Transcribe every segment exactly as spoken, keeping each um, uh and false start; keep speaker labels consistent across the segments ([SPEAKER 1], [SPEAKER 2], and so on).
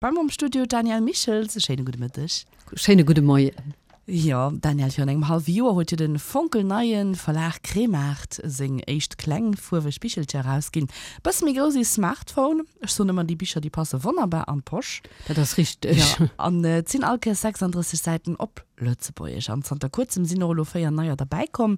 [SPEAKER 1] Bei mer am Studio d'Danièle Michels. E schéine gudde Mëtteg.
[SPEAKER 2] Schéine gudde Moien.
[SPEAKER 1] Jo, Danièle, virun engem hallwe Joer huet jo de fonkelneie Verlag Kremart seng éischt kleng fuerweg Bichelcher erausginn. Bësse méi grouss wéi e Smartphone. Ech soen ëmmer, déi Bicher, déi passe wonnerbar an d'Posch.
[SPEAKER 2] Dat ass richteg.
[SPEAKER 1] Jo, an et sinn all Kéiers sechsanddrësseg Säiten op Lëtzebuergesch. An zanter kuerzem sinn och elo véier neier derbäikomm.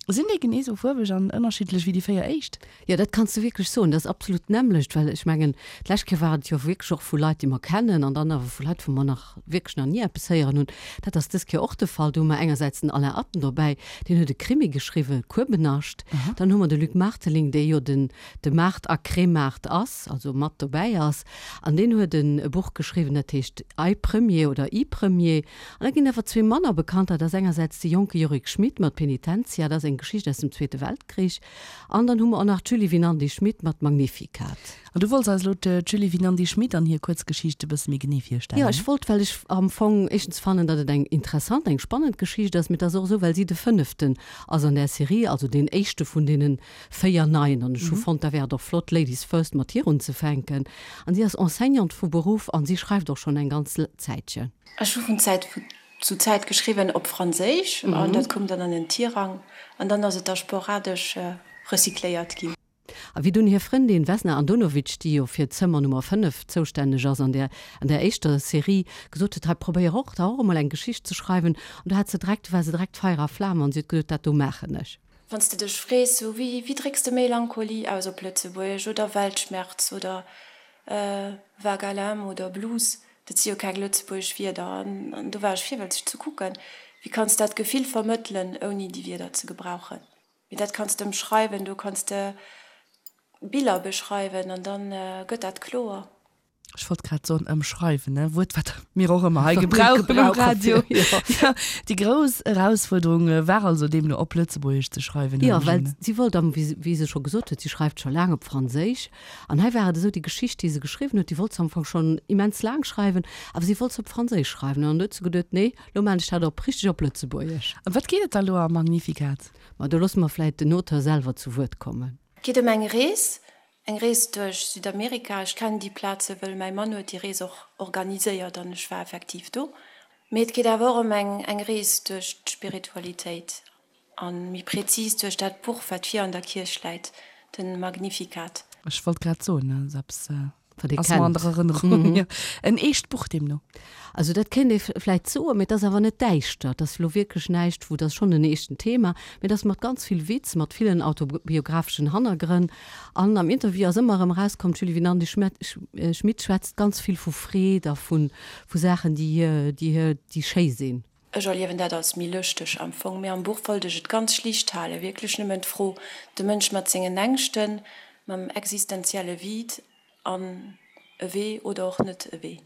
[SPEAKER 1] Sinn déi genee sou fuerweg an ënnerschiddlech wéi déi véier éischt?
[SPEAKER 2] Jo, dat kanns de wierklech soen. Dat ass absolut d'nämmlecht, well ech mengen, d'lescht Kéier war et jo wierklech och vu Leit, déi mer kennen, an dann awer vu Leit, wou mer nach wierklech nach ni eppes héieren hunn. Dat ass dës Kéier och de Fall. Do hu mer engersäits den Alain Atten dobäi, deen huet e Krimi geschriwwen, Kuebenascht. Dann hu mer de Luc Marteling, dee jo den de Maart a Kremart ass, also mat dobäi ass, an deen huet e Buch geschriwwen, dat heescht Ei Premier oder I Premier. An da ginn awer zwee manner bekannter, dat ass engersäits de jonke Yorick Schmit mat Penitentia, dat ass eng Geschicht aus dem Zweete Weltkrich, an dann hu mer och nach d'Julie Winandy-Schmit mat Magnificat.
[SPEAKER 1] An du wollts eis elo d'Julie Winandy-Schmit an hir Kuerzgeschicht e bësse méi genee virstellen?
[SPEAKER 2] Jo, ech wollt, well ech am Fong éischtens fannen, datt et eng interessant, eng spannend Geschicht ass, mee et ass och esou, well si de fënneften ass an där Serie, also deen éischte vun deene véier neien, an ech hu fonnt, da wär et och flott, Ladies first mat hir unzefänken. An si ass Enseignante vu Beruff an si schreift och schonn eng ganz Zäitchen.
[SPEAKER 3] Ech hu vun Zäit zu Zäit geschriwwen op Franséisch an dat koum dann an den Tirang an dann ass et da sporadesch recycléiert ginn.
[SPEAKER 2] A wéi dunn hir Frëndin Vesna Andonovic, déi jo fir d'Zëmmer Nummer fënnef zoustänneg ass an där an där éischter Serie, gesot huet, hei probéier och da och emol eng Geschicht ze schreiwen, an do hat se direkt, war se direkt Feier a Flam an si huet gesot, dat do maachen ech.
[SPEAKER 3] Wann s de dech frees, sou wéi wéi drécks de Melancholie aus op Lëtzebuergesch oder Weltschmerz oder Vague à l'âme oder Blues, dat si jo keng lëtzebuergesch Wierder. An do war ech virwëlzeg ze kucken, wéi kanns de dat Gefill vermëttelen, ouni déi Wierder ze gebrauchen. Mee dat kanns de ëmschreiwen, do kanns de Biller beschreiwen an da gëtt dat kloer.
[SPEAKER 1] Ech wollt grad soen ëmschreiwen, e Wuert, wat mir och ëmmer hei gebrauchen um Radio. Jo, déi grouss Erausfuerderung war also deemno op Lëtzebuergesch ze schreiwen,
[SPEAKER 2] Jo, well si wollt am, wéi se scho gesot huet, si schreift scho laang op Franséisch. An hei war et esou, déi Geschicht, déi se geschriwwen huet, déi wollt se am Fong schonn immens laang schreiwen, awer si wollt se op Franséisch schreiwen. An dann huet se geduet, nee, lo maan ech dat op richteg op Lëtzebuergesch.
[SPEAKER 1] Ëm wat geet et da lo am Magnificat?
[SPEAKER 2] Ma do loosse mer vläit den Auteur selwer zu Wuert kommen.
[SPEAKER 3] Et geet ëm eng Rees, Eng Rees duerch Südamerika. Ech kennen déi Plaze wëll mäi Mann huet déi Rees och organiséiert an ech war effektiv do. Mee et geet awer och ëm eng eng Rees duerch d'Spiritualitéit a méi prezis duerch dat Buch wat vir an der Kierch läit, de Magnificat.
[SPEAKER 1] Ech wollt grad soen, dat ass eppes
[SPEAKER 2] Wat ee
[SPEAKER 1] ass mer an
[SPEAKER 2] kennt.
[SPEAKER 1] der Erënnerung. Jo, en eescht Buch deemno.
[SPEAKER 2] Also dat kéint ee vläit soen, mee et ass awer net däischter. Et ass elo wierklech näischt, wou, et ass schonn en eeschten Thema, mee et ass mat ganz vill Witz, mat villen autobiographeschen Hannergrënn. An am Interview ass ëmmer erëm erauskomm, d'Julie Winandy-Schmit schwätzt ganz vill vu Freed a vu Saachen, déi hir, déi hir, déi schéi sinn.
[SPEAKER 3] Ech erliewen dat als méi lëschteg am Fong, mee am Buch wollt ech et ganz schlicht halen, wierklech nëmmen d'Fro, de Mënsch mat sengen Ängschten, mam existenzielle Vide an e Wee oder och net e Wee.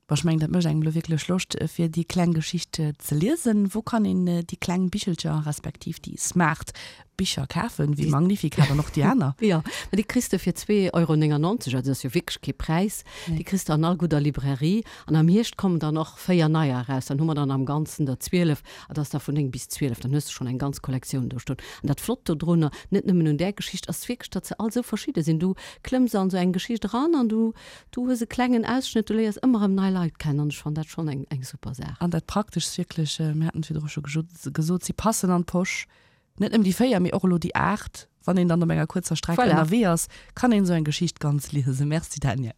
[SPEAKER 1] Bon, ech mengen, dat mécht engem elo wierklech Loscht, fir déi kleng Geschicht ze liesen. Wou kann een déi kleng Bichelcher, respektiv déi smart Bicher kafen, wéi Magnificat an och déi aner?
[SPEAKER 2] Jo, mä déi kriss de fir zwee Euro néngannonzeg, also dat ass jo wierklech kee Präis. Déi kriss de an all gudder Librairie. An am Hierscht kommen dann och véier neier eraus, dann hu mer dann am Ganzen der zwielef, an dat ass da vun néng bis zwielef, dann hues de schonn eng ganz Kollektioun do stoen. An dat Flott dodrunner, net nëmmen un där Geschicht, ass wierklech, datt se all esou verschidde sinn. Du klëmms an esou eng Geschicht eran an du, du hues e klengen Ausschnëtt, du léiers ëmmer erëm nei Leit kennen an ech fannen dat schonn eng, eng super Saach.
[SPEAKER 1] An dat Prakteschst wierklech, mir haten et virdru scho gesot, si passen an d'Posch, net nëmmen déi véier, mee och elo déi aacht. Wann een dann op enger kuerzer Streck
[SPEAKER 2] Voilà.
[SPEAKER 1] ënnerwee ass, kann een esou eng Geschicht ganz liesen. Merci Danièle.